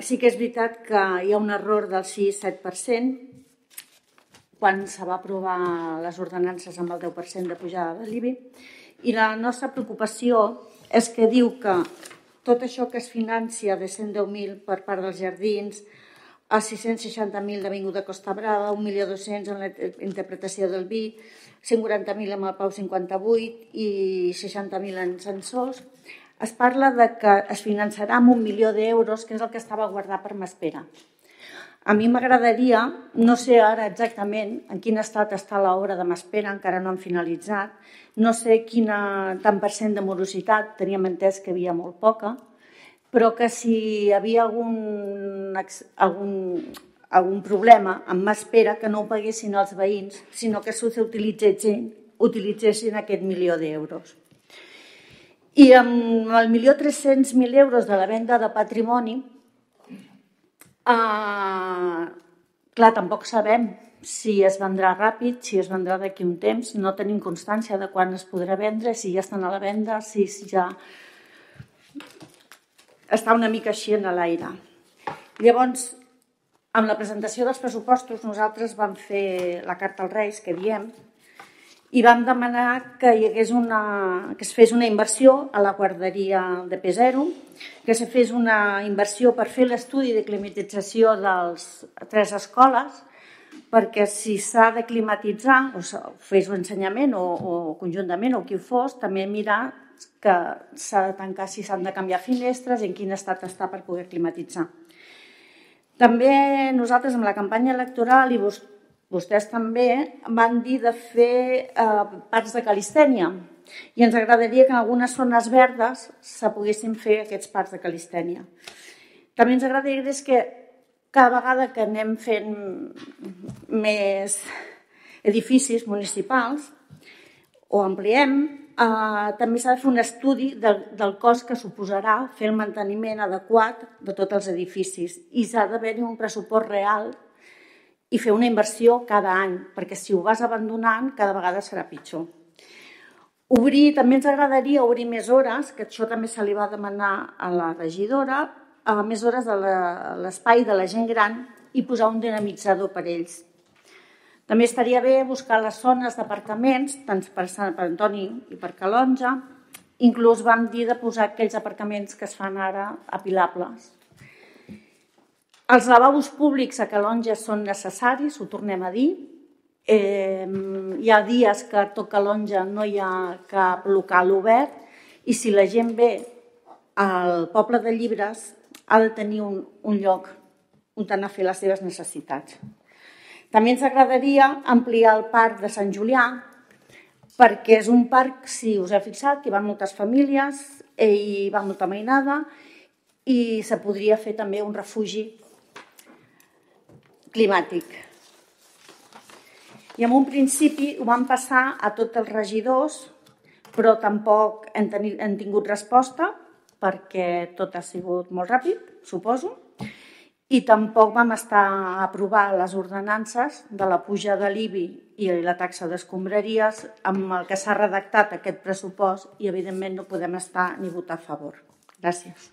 Sí que és veritat que hi ha un error del 6-7% quan se va aprovar les ordenances amb el 10% de pujada de l'IBI, i la nostra preocupació és que diu que tot això que es financia de 110.000 per part dels jardins, a 660.000 d'Avinguda Costa Brava, 1.200.000 en la interpretació del vi, 140.000 amb el Pau 58 i 60.000 en sensors, es parla de que es finançarà amb 1 milió d'euros, que és el que estava guardat per Maspera. A mi m'agradaria, no sé ara exactament en quin estat està l'obra de Maspera, encara no han finalitzat, no sé quin tant % de morositat, teníem entès que hi havia molt poca, però que si hi havia algun problema amb Maspera, que no ho paguessin els veïns, sinó que utilitzessin aquest 1 milió d'euros. I amb el 1.300.000 euros de la venda de patrimoni, clar, tampoc sabem si es vendrà ràpid, si es vendrà d'aquí un temps, no tenim constància de quan es podrà vendre, si ja estan a la venda, si ja està una mica així en l'aire. Llavors, amb la presentació dels pressupostos, nosaltres vam fer la carta als Reis, que diem, i vam demanar que hi hagués que es fes una inversió a la guarderia de P0, que se fes una inversió per fer l'estudi de climatització de les 3 escoles, perquè si s'ha de climatitzar, o fes l'ensenyament o conjuntament, o qui fos, també mirar que s'ha de tancar, si s'han de canviar finestres i en quin estat està per poder climatitzar. També nosaltres amb la campanya electoral i vostès també van dir de fer parcs de calistènia i ens agradaria que en algunes zones verdes se poguessin fer aquests parcs de calistènia. També ens agradaria que cada vegada que anem fent més edificis municipals o ampliem, també s'ha de fer un estudi del cost que suposarà fer el manteniment adequat de tots els edificis i s'ha d'haver-hi un pressupost real i fer una inversió cada any, perquè si ho vas abandonant cada vegada serà pitjor. També ens agradaria obrir més hores, que això també se li va demanar a la regidora, més hores de l'espai de la gent gran i posar un dinamitzador per ells. També estaria bé buscar les zones d'aparcaments, tant per Sant Antoni i per Calonja, inclús vam dir de posar aquells aparcaments que es fan ara apilables. Els lavabos públics a Calonja són necessaris, ho tornem a dir. Hi ha dies que a tot Calonja no hi ha cap local obert i si la gent ve al poble de Llibres ha de tenir un lloc on anar a fer les seves necessitats. També ens agradaria ampliar el parc de Sant Julià perquè és un parc, si us heu fixat, que hi van moltes famílies i hi va molta mainada i se podria fer també un refugi climàtic. I en un principi ho vam passar a tots els regidors, però tampoc hem tingut resposta perquè tot ha sigut molt ràpid, suposo, i tampoc vam estar a aprovar les ordenances de la puja de l'IBI i la taxa d'escombraries amb el que s'ha redactat aquest pressupost i evidentment no podem estar ni votar a favor. Gràcies.